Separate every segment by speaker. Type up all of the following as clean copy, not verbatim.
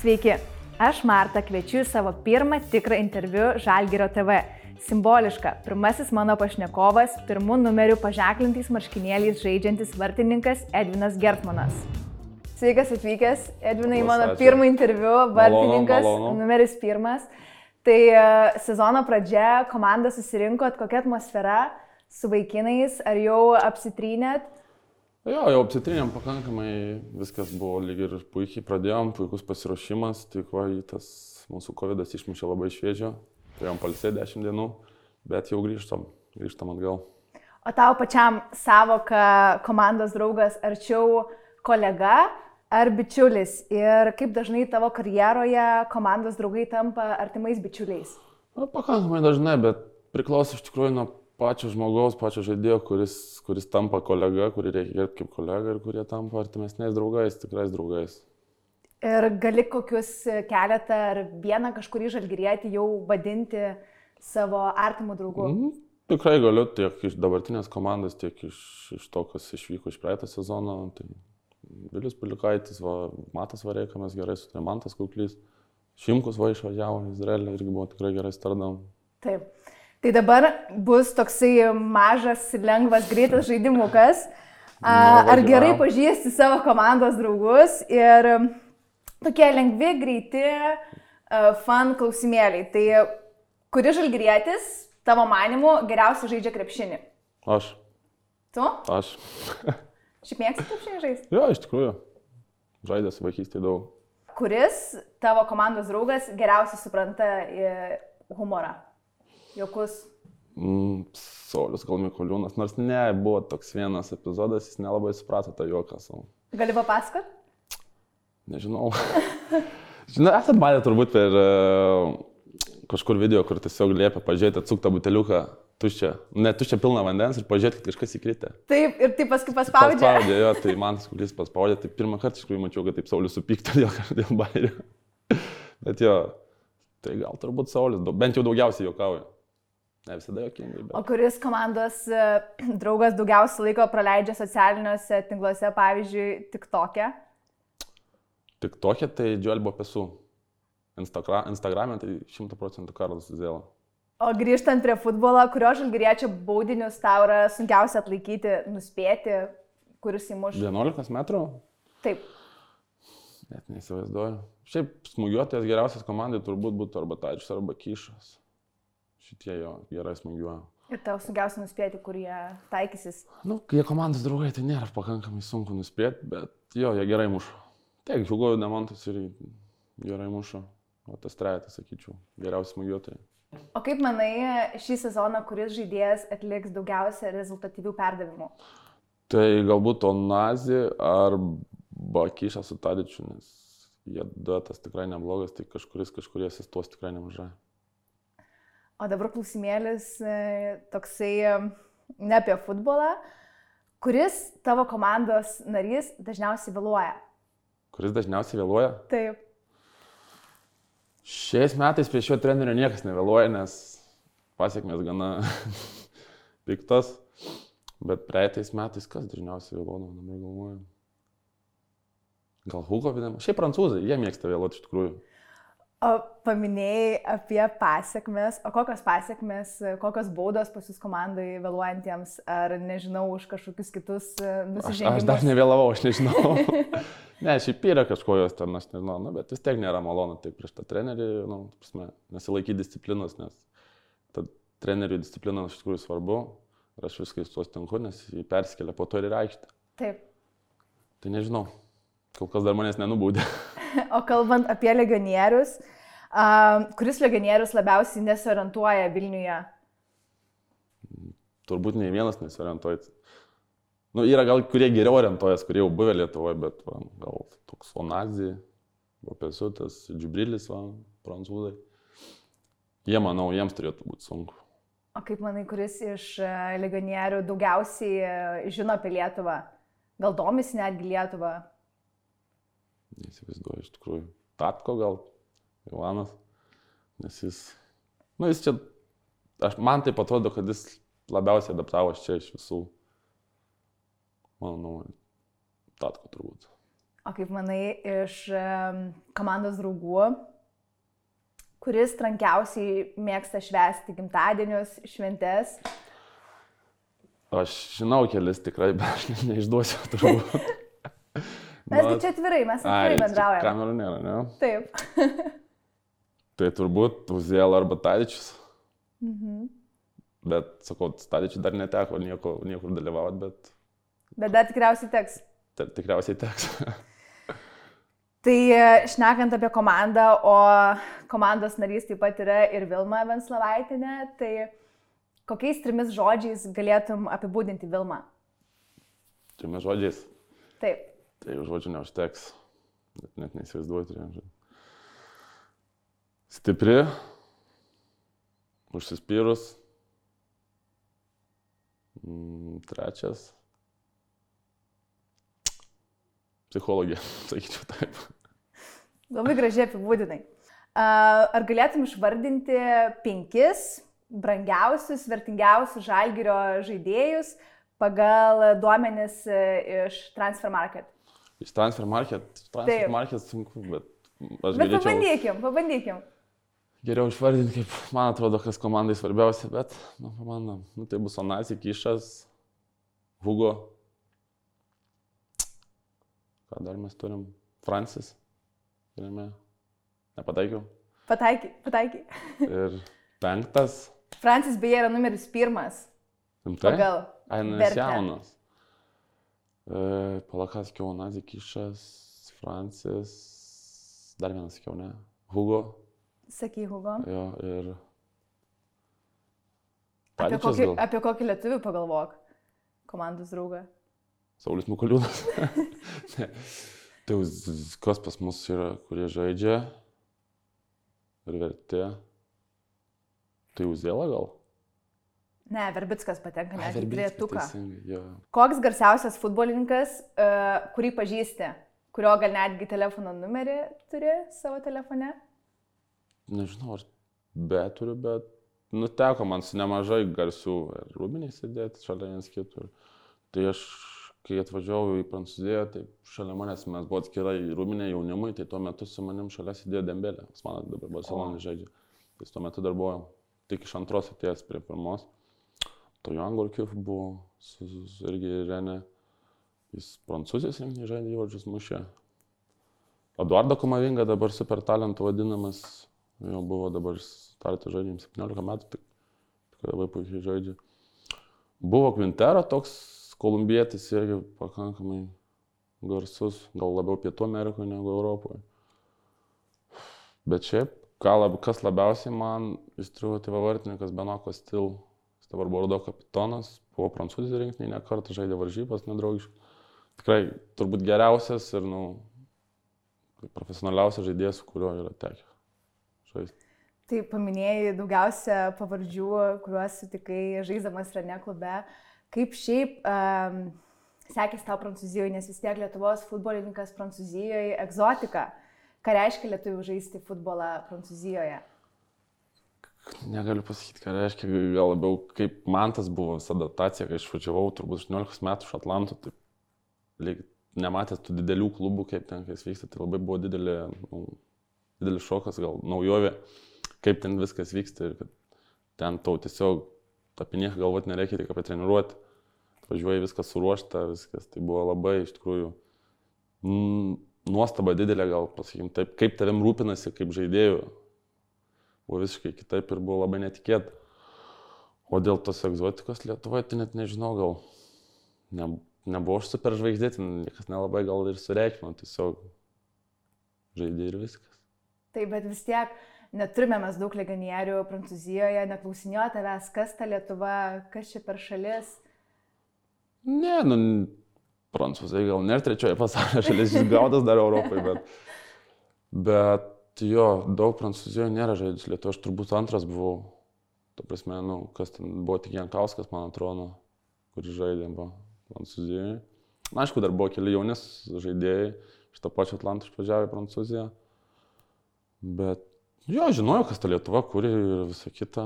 Speaker 1: Sveiki, aš Marta kviečiu į savo pirmą tikrą interviu Žalgirio TV. Simboliška, pirmasis mano pašnekovas, pirmų numerių paženklintais marškinėliais žaidžiantis vartininkas Edvinas Gertmanas. Sveikas atvykęs, Edvinai, mano pirmą interviu, vartininkas, numeris 1. Tai sezono pradžia, komanda susirinkot, kokia atmosfera su vaikinais, ar jau apsitrynėt?
Speaker 2: Jo, jau apsitrynėm pakankamai, viskas buvo lyg ir puikiai, pradėjom, puikus pasiruošimas, tik va, tas mūsų COVID išmušė labai šviežio, turėjom pailsėti 10 dienų, bet jau grįžtam atgal.
Speaker 1: O tau pačiam savoka komandos draugas arčiau kolega ar bičiulis? Ir kaip dažnai tavo karjeroje komandos draugai tampa artimais bičiuliais?
Speaker 2: Na, pakankamai dažnai, bet priklauso iš tikrųjų nuo pačio žmogaus, pačio žaidėjo, kuris tampa kolega, kurį reikia gerbti kaip kolega ir kurie tampa artimesniais draugais, tikrais draugais.
Speaker 1: Ir gali kokius keletą ar vieną kažkurį žalgirietį jau vadinti savo artimų draugų?
Speaker 2: Tikrai galiu, tiek iš dabartinės komandos, tiek iš to, kas išvyko iš praeitą sezoną. Tai Vilius Pilikaitis, Matas Vareika, mes gerai sutarėm, Mantas Kuklys, Šimkus išvažiavo į Izraelį, irgi buvo tikrai gerai stardavom.
Speaker 1: Taip. Tai dabar bus toksai mažas, lengvas, greitas žaidimukas. Ar gerai pažįsti savo komandos draugus ir tokie lengvi, greiti fan klausimėliai. Tai kuri žalgirietis tavo manymu geriausiai žaidžia krepšinį?
Speaker 2: Aš.
Speaker 1: Tu?
Speaker 2: Aš.
Speaker 1: Šiaip mėgsti krepšinį žaisti?
Speaker 2: Jo, iš tikrųjų. Žaidęs vaikystėje daug.
Speaker 1: Kuris tavo komandos draugas geriausiai supranta humorą? Jokus?
Speaker 2: Saulius gal Mikoliūnas, nors buvo toks vienas epizodas, jis nelabai suprato tą juoką savo.
Speaker 1: Gali papasakot?
Speaker 2: Nežinau. Žinai, esat matę turbūt per kažkur video, kur tiesiog liepia pažiūrėti atsuktą buteliuką tuščią, ne tuščią pilną vandens ir pažiūrėti, kad kažkas įkritę.
Speaker 1: Taip, ir taip paskui paspaudė.
Speaker 2: Paspaudė, jo, tai man Kuklys paspaudė, tai pirmą kartą iš tikrųjų mačiau, kad taip Saulius supykta dėl bairio. Bet jo, tai gal turbūt Saulius, bent jau daugiausiai juokauja. Ne visada jokingai, bet...
Speaker 1: O kuris komandos draugas daugiausiai laiko praleidžia socialiniuose tinkluose, pavyzdžiui, TikTok'e?
Speaker 2: TikTok'e tai Joel Bopesu. Instagram'e tai 100% Karlas Zuzėla.
Speaker 1: O grįžtant prie futbolo, kurio žalgiriečio baudinius tau yra sunkiausia atlaikyti, nuspėti, kuris įmuš?
Speaker 2: 11 metrų?
Speaker 1: Taip.
Speaker 2: Net neįsivaizduoju. Šiaip smūgiuotojas geriausias komandai turbūt būtų arba Tačius, arba Kyšas. Šitie jo gerai smūgiuoja. Ir
Speaker 1: tau sunkiausia nuspėti, kur jie taikysis?
Speaker 2: Nu, kai jie komandos draugai, tai nėra pakankamai sunku nuspėti, bet jo, jie gerai muša. Tiek, Hugo Demontas ir gerai muša. O tas trejetas, sakyčiau, geriausi smūgiuotojai.
Speaker 1: O kaip manai, šį sezoną, kuris žaidėjas atliks daugiausia rezultatyvių perdavimų?
Speaker 2: Tai galbūt Onazi arba Kyšas su Tadičiu, nes jie duetas tikrai neblogas, tai kažkurie asistuos tikrai nemažai.
Speaker 1: O dabar klausimėlis toksai ne apie futbolą. Kuris tavo komandos narys dažniausiai vėluoja?
Speaker 2: Kuris dažniausiai vėluoja?
Speaker 1: Taip.
Speaker 2: Šiais metais prie šio trenerio niekas nevėluoja, nes pasiekmės gana piktos. Bet praeitais metais kas dažniausiai vėluodavo, dabar galvoju. Gal Hugo Vidėm? Šiaip prancūzai, jie mėgsta vėluoti iš tikrųjų.
Speaker 1: O paminėjai apie pasiekmes, o kokios pasiekmes, kokios baudos pas jūs komandai vėluojantiems, ar nežinau, už kažkokius kitus nusižengimus?
Speaker 2: Aš dar nevėlavau, aš nežinau. Ne, šiaip yra kažkojos ten, aš nežinau, bet vis tiek nėra malonu taip prieš tą trenerį, nesilaikyti disciplinos, nes ta trenerių disciplina iš tikrųjų svarbu ir aš viską su tuo sutinku, nes jį persikelia po to ir aikštę.
Speaker 1: Taip.
Speaker 2: Tai nežinau, kol kas dar manęs nenubaudė.
Speaker 1: O kalbant apie legionierius, kuris legionierius labiausiai nesiorientuoja Vilniuje?
Speaker 2: Turbūt nei vienas nesiorientuoja. Yra gal kurie geriau orientuojas, kurie jau buvę Lietuvoje, bet gal toks Onazi, Bopesutas, Džibrilis, prancūzai. Jie, manau, jiems turėtų būti sunku.
Speaker 1: O kaip manai, kuris iš legionierių daugiausiai žino apie Lietuvą? Gal domisi netgi Lietuvą?
Speaker 2: Neįsivaizduoju, iš tikrųjų. Tatko gal, Ivanas, nes jis čia, man taip atrodo, kad jis labiausiai adaptavosi čia iš visų, manau, Tatko turbūt.
Speaker 1: O kaip manai, iš komandos draugų, kuris trankiausiai mėgsta švęsti gimtadienius, šventes?
Speaker 2: Aš žinau kelis tikrai, bet aš neišduosiu turbūt.
Speaker 1: Mes čia atvirai, mes atvirai bendraujame.
Speaker 2: Kamerų nėra, ne?
Speaker 1: Taip.
Speaker 2: Tai turbūt Uziel arba Tadičius.
Speaker 1: Mhm.
Speaker 2: Bet, sakau, Tadičiui dar neteko niekur dalyvauti, bet...
Speaker 1: Bet dar tikriausiai teks.
Speaker 2: Tikriausiai teks.
Speaker 1: Tai šnekant apie komandą, o komandos narys taip pat yra ir Vilma Venclovaitinė, tai kokiais 3 žodžiais galėtum apibūdinti Vilmą?
Speaker 2: 3 žodžiais?
Speaker 1: Taip.
Speaker 2: Tai žodžių neužteks, net neįsivaizduoju 3 žodžių. Stipri, užsispyrus, 3. Psichologija, sakyčiau taip.
Speaker 1: Labai gražiai apibūdinai. Ar galėtum išvardinti 5 brangiausius, vertingiausius Žalgirio žaidėjus pagal duomenis iš Transfer Market?
Speaker 2: Iš Transfer Market sunku, bet aš
Speaker 1: galėčiau...
Speaker 2: Bet
Speaker 1: pabandykim.
Speaker 2: Geriau išvardinti, kaip man atrodo, kas komandai svarbiausia, bet, pamandam, tai bus Onasi, Kišas, Hugo. Ką dar mes turim? Francis. Turime. Nepataikiau.
Speaker 1: Pataikiai.
Speaker 2: Ir 5.
Speaker 1: Francis beje yra numeris 1. Pagal
Speaker 2: vertę. Jaunas. Palakas, Onasi, Kišas, Francis. Dar vienas sakiau, ne? Hugo.
Speaker 1: Sakai Hugo.
Speaker 2: Jo, ir...
Speaker 1: Apie kokį lietuvių pagalvok? Komandos draugą.
Speaker 2: Saulis Mikuliūnas. Tai kas pas mus yra, kurie žaidžia ir vertė. Tai Uziela gal?
Speaker 1: Ne, Verbickas patenka, net į 3-tuką.
Speaker 2: Yeah.
Speaker 1: Koks garsiausias futbolininkas, kurį pažįsti, kurio gal netgi telefono numerį turi savo telefone?
Speaker 2: Nežinau, ar turiu, bet teko man su nemažai garsių rūbiniai sėdėti šalia viens kitur. Tai aš, kai atvažiavau į Prancūziją, tai šalia manęs mes buvo atskirai rūbiniai jaunimui, tai tuo metu su manim šalia sėdėjo Dembelė. Jis man dabar Barcelonai žaidžia. Tai tuo metu dar buvo tik iš 2 atėjęs prie 1. Tojan Gorkiuf buvo irgi Renė. Jis Prancūzijos rinktinėje žaidė, įvarčius mušė. Eduardo Komavinga dabar super talentų vadinamas. Jau buvo dabar startą žaidžiam 17 metų, tik labai puikiai žaidžia. Buvo Quintero toks kolumbietis irgi pakankamai garsus, gal labiau Pietų Amerikoje negu Europoje. Bet šiaip, kas labiausiai man įstrigo, tai vartininkas Benoit Costil. Jis dabar Bordo kapitonas, buvo Prancūzijos rinktinėje, ne kartą žaidė varžybas nedraugiškai. Tikrai turbūt geriausias ir profesionaliausias žaidėjas, su kuriuo yra tekę.
Speaker 1: Tai paminėjai daugiausia pavardžių, kuriuos sutikai žaisdamas Renė klube. Kaip šiaip sekėsi tau Prancūzijoje, nes vis tiek Lietuvos futbolininkas Prancūzijoje egzotika. Ką reiškia lietuvių žaisti futbolą Prancūzijoje?
Speaker 2: Negaliu pasakyti, ką reiškia. Gal labiau kaip man tas buvo visa adaptacija, kai išvažiavau turbūt 18 metų iš Atlanto. Tai nematęs tų didelių klubų, kaip ten kas vyksta, tai labai buvo didelis šokas, gal naujovė, kaip ten viskas vyksta ir kad ten tau tiesiog apie nieką galvoti nereikia, tik apie treniruoti. Važiuoji viskas suruošta, viskas. Tai buvo labai iš tikrųjų nuostaba didelė, gal pasakykim taip, kaip tavim rūpinasi, kaip žaidėjų. Buvo visiškai kitaip ir buvo labai netikėta. O dėl tos egzotikos Lietuvoje, tai net nežinau, gal nebuvo aš super žvaigždė, niekas nelabai gal ir sureikšmino, tiesiog žaidė ir viskas.
Speaker 1: Taip, bet vis tiek neturime mes daug legionierių Prancūzijoje, neklausinėjo tavęs, kas ta Lietuva, kas čia per šalis?
Speaker 2: Ne, prancūzai gal nėra 3 pasaulio šalis, jis gaudas dar Europai, bet jo, daug Prancūzijoje nėra žaidžius Lietuva, aš turbūt 2 buvau, ta prasme, kas ten buvo tik Jankauskas, man atrodo, kuris žaidė Prancūzijoje. Na, aišku, dar buvo keli jaunis žaidėjai, iš to pačio Atlanto išvažiavę į Prancūziją. Bet jo, žinojau, kas ta Lietuva, kuri ir visa kita.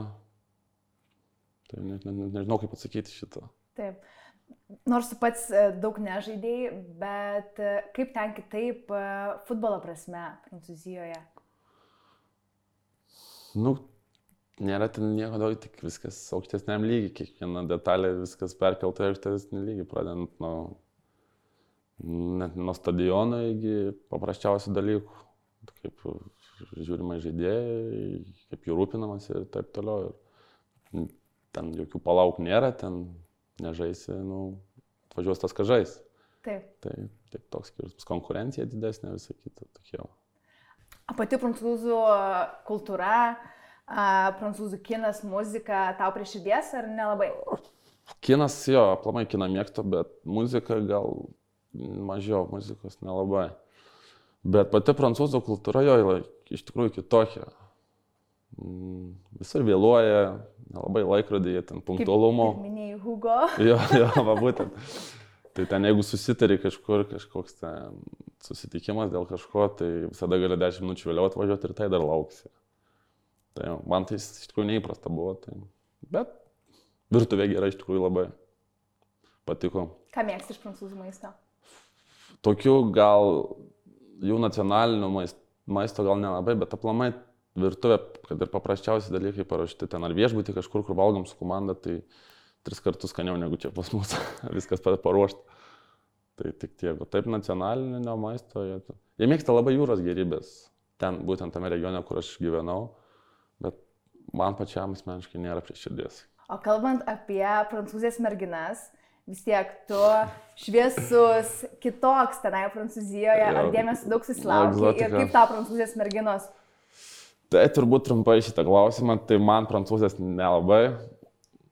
Speaker 2: Tai nežinau, kaip atsakyti šitą.
Speaker 1: Taip. Nors tu pats daug nežaidėjai, bet kaip ten kitaip futbolo prasme Prancūzijoje?
Speaker 2: Nu, nėra ten nieko daug, tik viskas aukštesniam lygiai, kiekviena detalė, viskas perkelta į aukštesnį lygį, pradedant nuo stadiono iki paprasčiausių dalykų, kaip žiūrima žaidėjai, kaip jų rūpinamas ir taip toliau. Ir ten jokių palauk nėra, ten nežaisi, atvažiuos tas, ką žais.
Speaker 1: Taip.
Speaker 2: Taip toks skirtumas, konkurencija didesnė, visą kitą tokie.
Speaker 1: O pati prancūzų kultūra, prancūzų kinas, muzika, tau prie širdies ar nelabai?
Speaker 2: Kinas, jo, aplamai kiną mėgstu, bet muzika gal mažiau, muzikos nelabai. Bet pati prancūzų kultūra jo yra iš tikrųjų kitokia. Visur vėluoja, nelabai laikrodėje, ten punktualumo.
Speaker 1: Kaip minėjai Hugo.
Speaker 2: Jo, va būtent. Tai ten jeigu susitari kažkoks ten susitikimas dėl kažko, tai visada gali 10 minučių vėliau atvažiuoti ir tai dar lauksi. Tai man tai iš tikrųjų neįprasta buvo. Tai. Bet virtuvė gera iš tikrųjų labai patiko.
Speaker 1: Ką mėgsti iš prancūzų maisto?
Speaker 2: Tokių gal jų nacionalinių maisto gal nelabai, bet aplamai virtuvė, kad ir paprasčiausi dalykai parašyti ten ar viešbutį kažkur, kur valgom su komanda, tai 3 kartus skaniau negu čia pas mus, viskas paruošta. Tai tik tiek, o taip nacionalinio maisto, jie mėgsta labai jūros gėrybės, ten būtent tame regione, kur aš gyvenau, bet man pačiam asmeniškai nėra prie širdies.
Speaker 1: O kalbant apie prancūzės merginas, vis tiek tu šviesus, kitoks tenai Prancūzijoje, ar dėmesio daug susilauki ir kaip tau prancūzės merginos?
Speaker 2: Tai turbūt trumpai šitą klausimą, tai man prancūzės nelabai.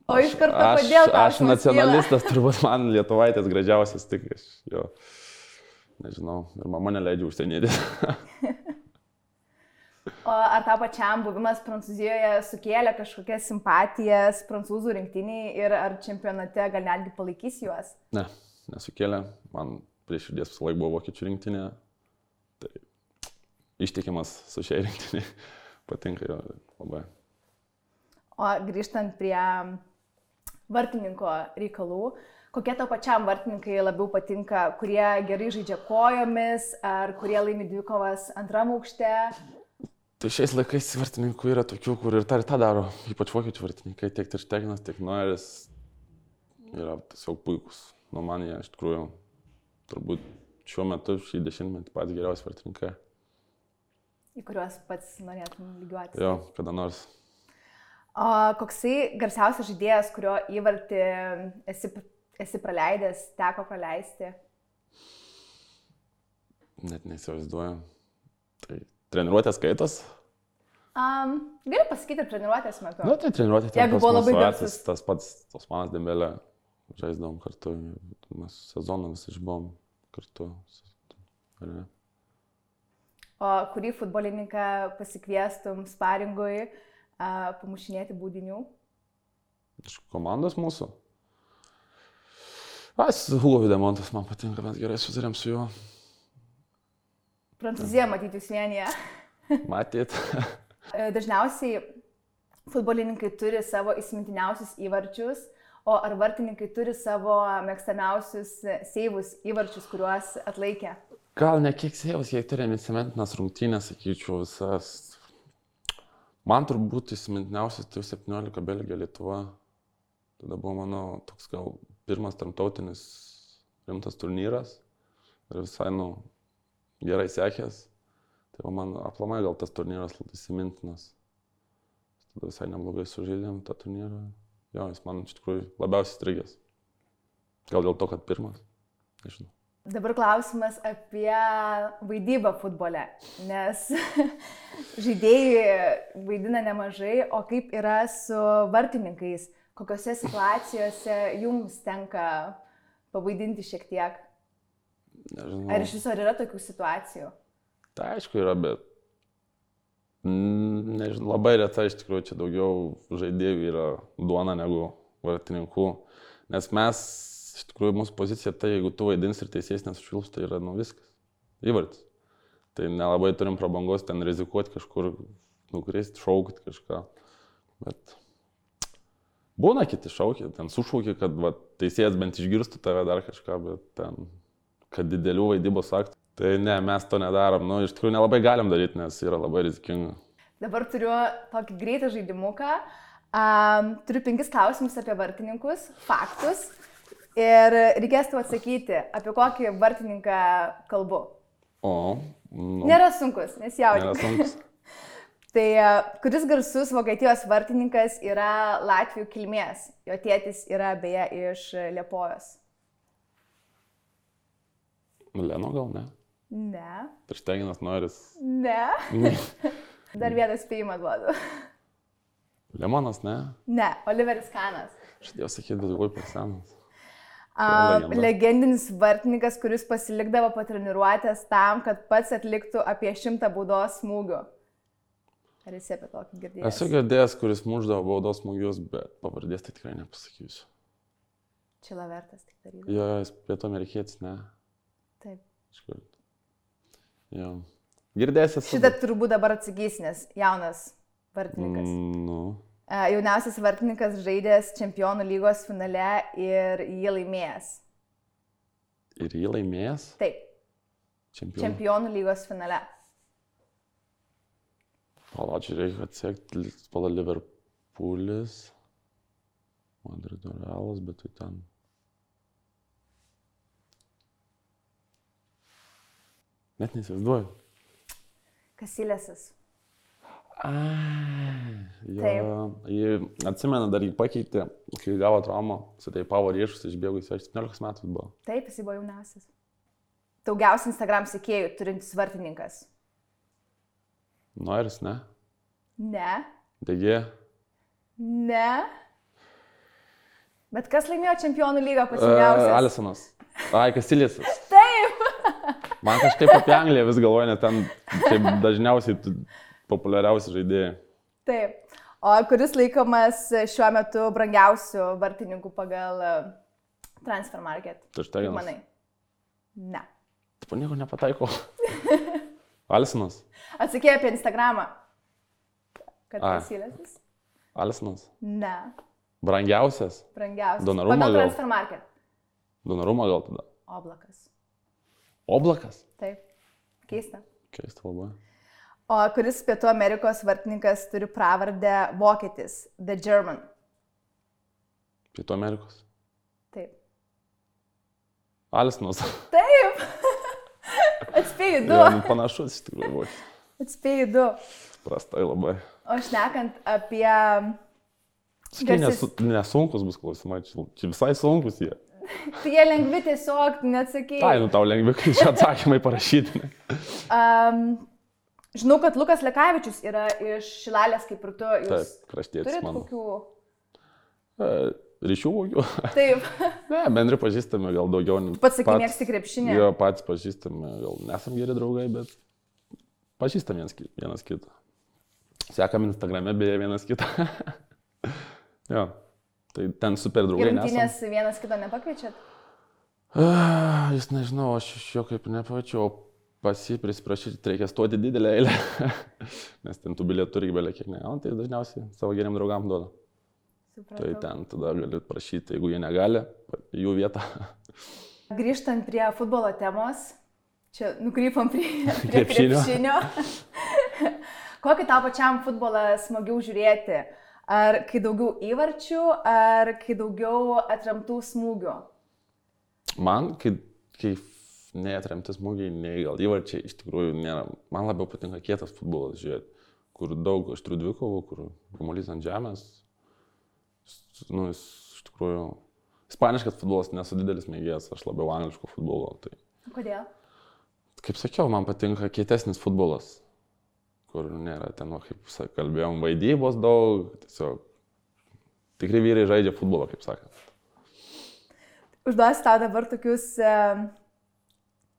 Speaker 1: O iš karto kodėl tau?
Speaker 2: Aš nacionalistas, turbūt man lietuvaitės gražiausias tik aš, jo, nežinau, ir mama neleidžia užsienietis.
Speaker 1: O ar tau pačiam buvimas Prancūzijoje sukėlė kažkokias simpatijas prancūzų rinktiniai ir ar čempionate gal netgi palaikys juos?
Speaker 2: Ne, nesukėlė, man prie širdies visą laiką buvo vokiečių rinktinė, tai ištikimas su šiai rinktiniai. Patinka jo labai.
Speaker 1: O grįžtant prie vartininko reikalų, kokie tau pačiam vartininkai labiau patinka, kurie gerai žaidžia kojomis, ar kurie laimi dvikovas antram aukšte?
Speaker 2: Tai šiais laikais vartininkų yra tokių, kur ir tą daro, ypač vokiečių vartininkai, tiek Ter Stegenas, tiek Neueris yra tiesiog puikus. Nu, man jie iš tikrųjų turbūt šiuo metu, šį dešimtmetį patys geriausi vartininkai.
Speaker 1: Į kuriuos pats norėtum lygiuotis.
Speaker 2: Jo, kada nors.
Speaker 1: O koksai garsiausias žaidėjas, kurio įvartį esi praleidęs, teko praleisti?
Speaker 2: Net neįsivaizduoju. Tai treniruotės skaitos?
Speaker 1: Gali pasakyti ir treniruotės metu.
Speaker 2: Nu, tai treniruotės metu.
Speaker 1: Jeigu buvo labai garsus.
Speaker 2: Tas pats Osmanas Dembelė žaisdavom kartu. Mes sezoną visi išbuvom kartu. Ar ne?
Speaker 1: O kurį futbolininką pasikviestum sparingui pamušinėti baudinių?
Speaker 2: Iš komandos mūsų? Hugo Videmontas man patinka, mes gerai sutarėm su juo.
Speaker 1: Prancūzija matyti jūs vienyje.
Speaker 2: Matyt.
Speaker 1: Dažniausiai futbolininkai turi savo įsimintiniausius įvarčius, o ar vartininkai turi savo mėgstamiausius seivus įvarčius, kuriuos atlaikė?
Speaker 2: Gal ne kiek seivus, kiek turėjom įsimintinas rungtynės, sakyčiau, visas. Man turbūt įsimintiniausias tai 17 Belgija, Lietuva. Tada buvo mano toks gal pirmas tarptautinis rimtas turnyras ir visai, gerai sekęs. Tai man aplamai gal tas turnyras įsimintinas. Tada visai neblogai sužaidėm tą turnyrą. Jo, jis man iš tikrųjų labiausiai strigęs. Gal dėl to, kad pirmas, nežinau.
Speaker 1: Dabar klausimas apie vaidybą futbole, nes žaidėjai vaidina nemažai, o kaip yra su vartininkais? Kokiose situacijose jums tenka pavaidinti šiek tiek?
Speaker 2: Nežinau.
Speaker 1: Ar iš viso yra tokių situacijų?
Speaker 2: Tai aišku yra, bet nežinau, labai retai iš tikrųjų čia daugiau žaidėjų yra duona negu vartininkų, nes mes iš tikrųjų mūsų pozicija tai, jeigu tu vaidins ir teisėjas nesušvilps, tai yra viskas. Įvartis. Tai nelabai turim prabangos ten rizikuoti kažkur, nukristi, šaukti kažką. Bet Būna kiti šaukia, ten sušaukia, kad va, teisėjas bent išgirstų tave dar kažką, bet ten, kad didelių vaidybos aktų. Tai ne, mes to nedarom. Nu, iš tikrųjų nelabai galim daryti, nes yra labai rizikinga.
Speaker 1: Dabar turiu tokį greitą žaidimuką. Turiu 5 klausimus apie vartininkus, faktus. Ir reikės tau atsakyti, apie kokį vartininką kalbu.
Speaker 2: O, nu.
Speaker 1: Nėra sunkus, nesijaudink.
Speaker 2: Nėra sunkus.
Speaker 1: Tai kuris garsus Vokietijos vartininkas yra Latvių kilmės? Jo tėtis yra beje iš Liepojos.
Speaker 2: Leno gal ne?
Speaker 1: Ne.
Speaker 2: Trišteginas Noiris.
Speaker 1: Ne. Dar vieną spėjimą duodu.
Speaker 2: Lemonas, ne?
Speaker 1: Ne, Oliveris Kanas.
Speaker 2: Aš dėjau sakyti, bet labai pasenas.
Speaker 1: Legendinis vartininkas, kuris pasilikdavo po treniruotės tam, kad pats atliktų apie 100 baudos smūgių. Ar esi apie tokį girdėjęs?
Speaker 2: Esu girdėjęs, kuris muždavo baudos smūgius, bet pavardės tai tikrai nepasakysiu.
Speaker 1: Čilavertas tik darydavo.
Speaker 2: Jo, jis pietų amerikietis, ne?
Speaker 1: Taip.
Speaker 2: Kažkur. Jo. Girdėjęs esu.
Speaker 1: Šitą turbūt dabar atsakys, nes jaunas vartininkas.
Speaker 2: Nu.
Speaker 1: Jauniausias vartininkas žaidęs Čempionų lygos finale ir jį laimėjęs.
Speaker 2: Ir jį laimėjęs?
Speaker 1: Taip. Čempionų lygos finale.
Speaker 2: Palačiai reikia atsiekti, pala Liverpoolis, Madrido Realas, bet tai ten. Net nesivaizduoju.
Speaker 1: Kasilėsas.
Speaker 2: Jį atsimena, dar jį pakeitė, kai gavo traumą, suteipavo riešus, išbėgo į 17 metų buvo.
Speaker 1: Taip, jis buvo jauniausias. Daugiausiai Instagram sekėjų turintis vartininkas.
Speaker 2: Noiris, ne?
Speaker 1: Ne.
Speaker 2: Degė?
Speaker 1: Ne. Bet kas laimėjo Čempionų lygą pats jauniausias?
Speaker 2: Alisonas. Ai, Kasilėsas.
Speaker 1: Taip.
Speaker 2: Man kažkaip apie Angliją vis galvoju, net ten kaip dažniausiai populiariausi žaidėjai.
Speaker 1: Taip. O kuris laikomas šiuo metu brangiausių vartininkų pagal Transfer Market?
Speaker 2: Trišteginas.
Speaker 1: Manai? Ne.
Speaker 2: Taip, nieko nepataiko. Alisonas.
Speaker 1: Atsakė apie Instagramą. Kad Kasilėsas?
Speaker 2: Alisonas.
Speaker 1: Ne.
Speaker 2: Brangiausias?
Speaker 1: Brangiausias.
Speaker 2: Donnarumma
Speaker 1: pagal
Speaker 2: gal?
Speaker 1: Transfer Market.
Speaker 2: Donnarumma gal tada?
Speaker 1: Oblakas.
Speaker 2: Oblakas?
Speaker 1: Taip. Keista.
Speaker 2: Keista labai.
Speaker 1: O kuris Pietų Amerikos vartininkas turi pravardę vokietis? The German.
Speaker 2: Pietų Amerikos?
Speaker 1: Taip.
Speaker 2: Alisonas.
Speaker 1: Taip. Atspėjai 2.
Speaker 2: Ja, panašus iš tikrųjų buvo.
Speaker 1: Atspėjai 2.
Speaker 2: Prastai labai.
Speaker 1: O šnekant apie...
Speaker 2: Sakai, nesunkus bus klausimai, čia visai sunkus jie.
Speaker 1: Tai jie lengvi tiesiog, neatsakėjai.
Speaker 2: Tai, nu tau lengvi, kai čia atsakymai parašyti.
Speaker 1: Žinau, kad Lukas Lekavičius yra iš Šilalės, kaip ir tu.
Speaker 2: Taip, kraštietis
Speaker 1: turit
Speaker 2: mano.
Speaker 1: Kokių...
Speaker 2: Ryšių kokių?
Speaker 1: Taip.
Speaker 2: Ne, bendri pažįstami gal daugiau.
Speaker 1: Pats sakai, mėgsti krepšinį.
Speaker 2: Jo, patys pažįstami, gal nesam geri draugai, bet pažįstam vienas kitą. Sekam Instagrame beje vienas kitą. Jo, tai ten super draugai nesam.
Speaker 1: Ir rungtynės vienas kito nepakviečiat?
Speaker 2: Jis nežinau, aš iš jo kaip nepaviečiau, pas jį prisiprašyti reikia stoti didelę eilę, nes ten tų bilietų irgi belia kiek negauna, tai dažniausiai savo geriam draugam duoda. Supratau. Tai ten tada gali prašyti, jeigu jie negali, jų vietą.
Speaker 1: Grįžtant prie futbolo temos, čia nukrypom prie krepšinio. Kokį tau pačiam futbolą smagiau žiūrėti? Ar kai daugiau įvarčių, ar kai daugiau atremtų smūgių?
Speaker 2: Man, kai neatremti smūgiai, nei gal įvarčiai, iš tikrųjų nėra. Man labiau patinka kietas futbolas žiūrėti, kur daug aštrių dvikovų, kur kamuolys ant žemės. Nu, jis iš tikrųjų... Ispaniškas futbolas nesu didelis mėgėjas, aš labiau angliško futbolo. Tai...
Speaker 1: Kodėl?
Speaker 2: Kaip sakiau, man patinka kietesnis futbolas, kur nėra ten, kaip kalbėjom, vaidybos daug, tiesiog tikri vyrai žaidžia futbolą, kaip sakant.
Speaker 1: Užduosiu tau dabar tokius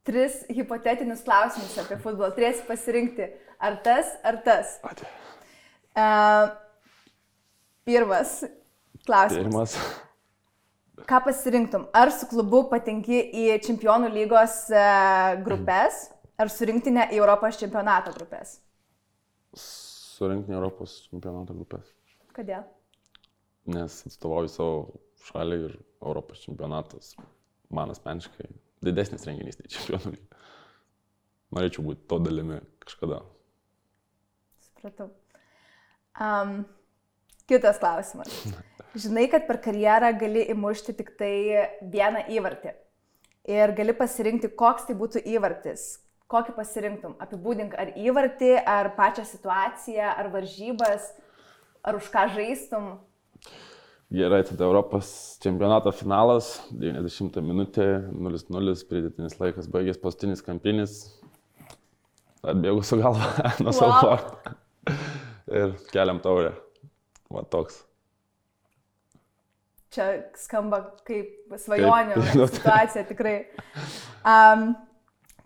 Speaker 1: 3 hipotetinius klausimus apie futbolą. Turėsi pasirinkti ar tas, ar tas. Pirmas klausimas. Ką pasirinktum? Ar su klubu patenki į Čempionų lygos grupės, ar su rinktinė į Europos čempionato grupės?
Speaker 2: Su rinktinė Europos čempionato grupės.
Speaker 1: Kodėl?
Speaker 2: nes atstovauju savo šalį ir Europos čempionatas man asmeniškai didesnis renginys nei čempionų lyga. Norėčiau būti to dalimi kažkada.
Speaker 1: Supratau. Kitas klausimas. Žinai, kad per karjerą gali įmušti tik tai vieną įvartį. Ir gali pasirinkti, koks tai būtų įvartis. Kokį pasirinktum? Apibūdink ar įvartį, ar pačią situaciją, ar varžybas, ar už ką žaistum?
Speaker 2: Gerai, tada Europos čempionato finalas, 90 minutė, 0-0, pridėtinis laikas baigės, paskutinis kampinis. Atbėgu su galva nuo savo vartų. Ir keliam taurę. Va toks.
Speaker 1: Čia skamba kaip svajonių situacija, tikrai.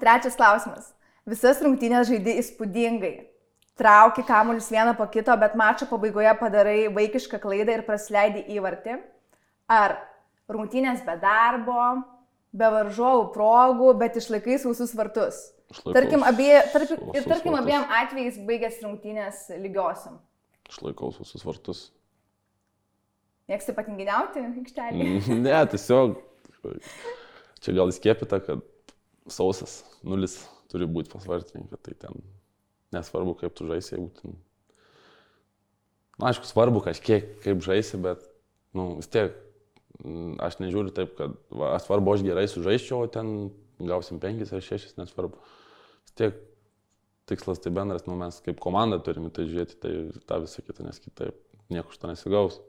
Speaker 1: Trečias klausimas. Visas rungtynės žaidi įspūdingai. Trauki kamuolius vieną po kito, bet mačo pabaigoje padarai vaikišką klaidą ir prasileidi įvartį. Ar rungtynės be darbo, be varžovų progų, bet išlaikai sausus vartus. Tarkim, abiem atvejais baigės rungtynės lygiosiam.
Speaker 2: Išlaikau sausus vartus.
Speaker 1: Mėgsti patinginiauti aikštelį?
Speaker 2: Ne, tiesiog čia gal įskiepita, kad sausas 0 turi būti pas vartininką, tai ten nesvarbu, kaip tu žaisi, jeigu ten... Na, aišku, svarbu kažkiek, kaip žaisi, bet, vis tiek, aš nežiūriu taip, kad, svarbu, aš gerai sužaisčiau, o ten gausim 5 ar 6, nesvarbu. Vis tiek, tikslas tai bendras, mes kaip komanda turime tai žiūrėti, tai tą visą kitą, nes kitaip nieko iš to nesigaus.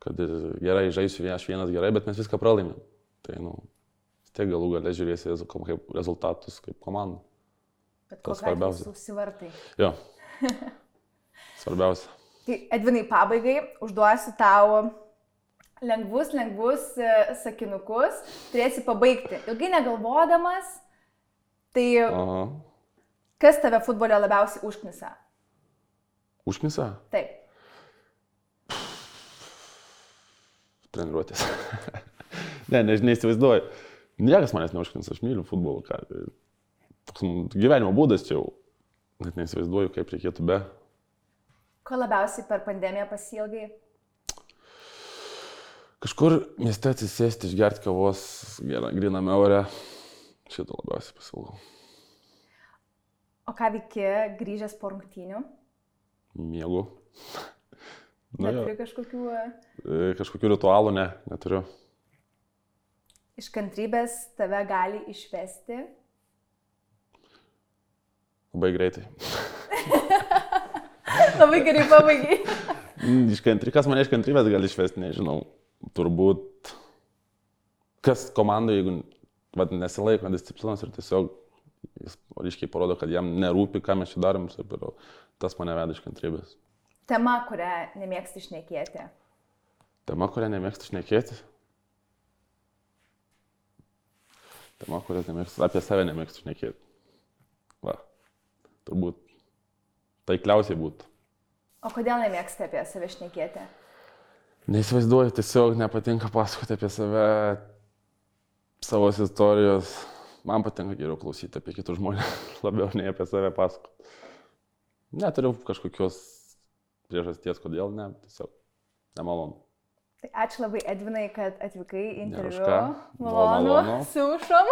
Speaker 2: Kad ir gerai žaisiu aš vienas gerai, bet mes viską pralaimėm. Tai, vis tiek galų gale žiūrėsi kaip rezultatus, kaip komanda.
Speaker 1: Bet kokie susivartai.
Speaker 2: Jo. Svarbiausia.
Speaker 1: Tai Edvinai, pabaigai užduosiu tau lengvus sakinukus, turėsi pabaigti. Ilgai negalvodamas, tai kas tave futbole labiausiai užknisa?
Speaker 2: Užknisa?
Speaker 1: Taip.
Speaker 2: Treniruotės. Neįsivaizduoju. Niekas manęs neužknisa, aš myliu futbolą. Toks gyvenimo būdas čia jau. Net neįsivaizduoju, kaip reikėtų be.
Speaker 1: Ko labiausiai per pandemiją pasiilgai?
Speaker 2: Kažkur mieste atsisėsti, išgerti kavos, gryname ore. Šito labiausiai pasiilgau.
Speaker 1: O ką veiki grįžęs po rungtynių?
Speaker 2: Miegu.
Speaker 1: Neturi kažkokių...
Speaker 2: Kažkokių ritualų, neturiu.
Speaker 1: Iš kantrybės tave gali išvesti?
Speaker 2: Labai greitai.
Speaker 1: Labai gerai pabaigai.
Speaker 2: Kas mane iš kantrybės gali išvesti, nežinau. Turbūt, kas komandai, jeigu nesilaiko disciplinos ir tiesiog jis ryškiai parodo, kad jam nerūpi, ką mes čia darom, tas mane veda iš kantrybės.
Speaker 1: Tema, kurią nemėgsti šnekėti.
Speaker 2: Tema, kurią nemėgsti šnekėti? Tema, kurią nemėgsti, apie save nemėgsti šnekėti. Va, turbūt taikliausiai būtų.
Speaker 1: O kodėl nemėgsti apie save šnekėti?
Speaker 2: Neįsivaizduoju, tiesiog nepatinka pasakoti apie save, savo istorijos. Man patinka geriau klausyti apie kitus žmonės, labiau nei apie save pasakoti. Neturiu kažkokios priežasties, kodėl ne, tiesiog nemalonu.
Speaker 1: Tai ačiū labai, Edvinai, kad atvykai į interviu.
Speaker 2: Malonu.
Speaker 1: Sušom.